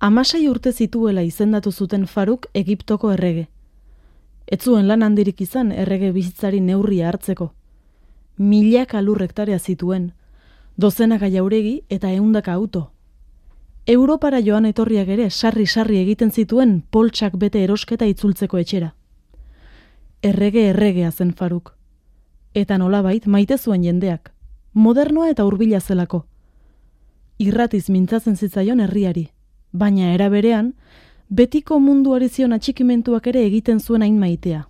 16 urte zituela izendatu zuten Faruk Egiptoko errege. Ez zuen lan handirik izan errege bizitzari neurria hartzeko. Milaka lur hektarea zituen, dozenaka jauregi eta 100 auto. Europara joan etorriak ere sarri-sarri egiten zituen poltsak bete erosketa itzultzeko etxera. Erregea zen Faruk. Eta nolabait maite zuen jendeak, modernoa eta hurbila zelako. Irratiz mintzatzen zitzaion herriari, baina era berean, betiko munduari zion atxikimentuak ere egiten zuen hain maitea.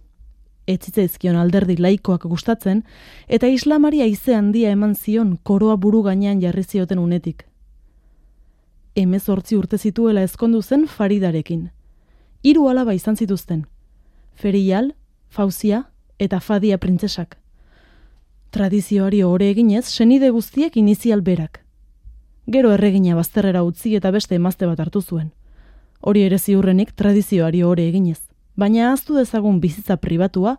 Ez zitzaizkion alderdi laikoak gustatzen, eta islamari haize handia eman zion koroa buru gainean jarri zioten unetik. 18 urte zituela ezkondu zen Faridarekin. 3 alaba izan zituzten, Ferial, Fauzia eta Fadia printzesak. Tradizioari ohore eginez, senide guztiek inizial berak. Gero erregina bazterrera utzi eta beste emazte bat hartu zuen. Hori ere ziurrenik tradizioari ohore eginez, baina ahaztu dezagun bizitza pribatua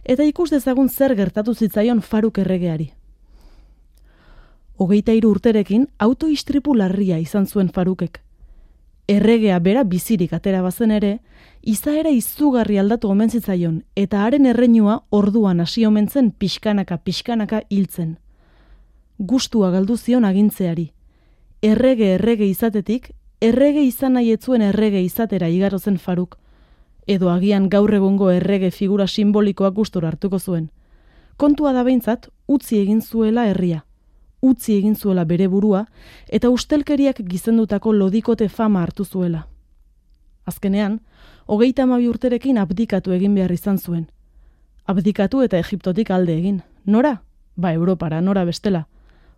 eta ikus dezagun zer gertatu zitzaion Faruk erregeari. 23 urterekin autoistripu larria izan zuen Farukek. Erregea bera bizirik atera bazen ere, izaera izugarri aldatu omen zitzaion eta haren erreinua orduan hasi omen zen pixkanaka hiltzen. Gustua galdu zion agintzeari. Errege izatetik, errege izan nahi ez zuen errege izatera igaro zen Faruk, edo agian gaur egungo errege figura simbolikoak gustura hartuko zuen. Kontua da behintzat, utzi egin zuela herria, utzi egin zuela bere burua, eta ustelkeriak gizendutako lodikote fama hartu zuela. Azkenean, 32 urterekin abdikatu egin behar izan zuen. Abdikatu eta Egiptotik alde egin. Nora? Ba, Europara, nora bestela.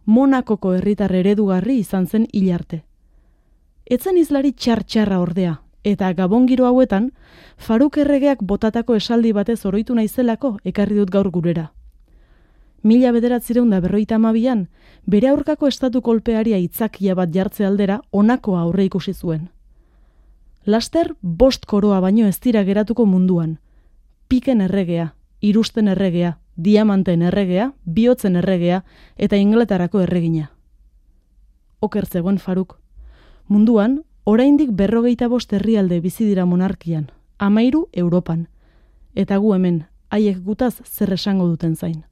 Monakoko herritar eredugarri izan zen hil arte. Etzen izlari txar-txarra ordea, eta gabongiro hauetan, Faruk erregeak botatako esaldi batez oroitu naizelako ekarri dut gaur gurera. 1952an, bere aurkako estatu kolpeari aitzakia bat jartze aldera honakoa aurre ikusi zuen. Laster 5 koroa baino ez dira geratuko munduan. Piken erregea, irusten erregea, diamanten erregea, bihotzen erregea eta Inglaterrako erregina. Oker zegoen Faruk. Munduan, oraindik 45 herrialde bizi dira monarkian, 13 Europan. Eta gu hemen, haiek gutaz zer esango duten zain.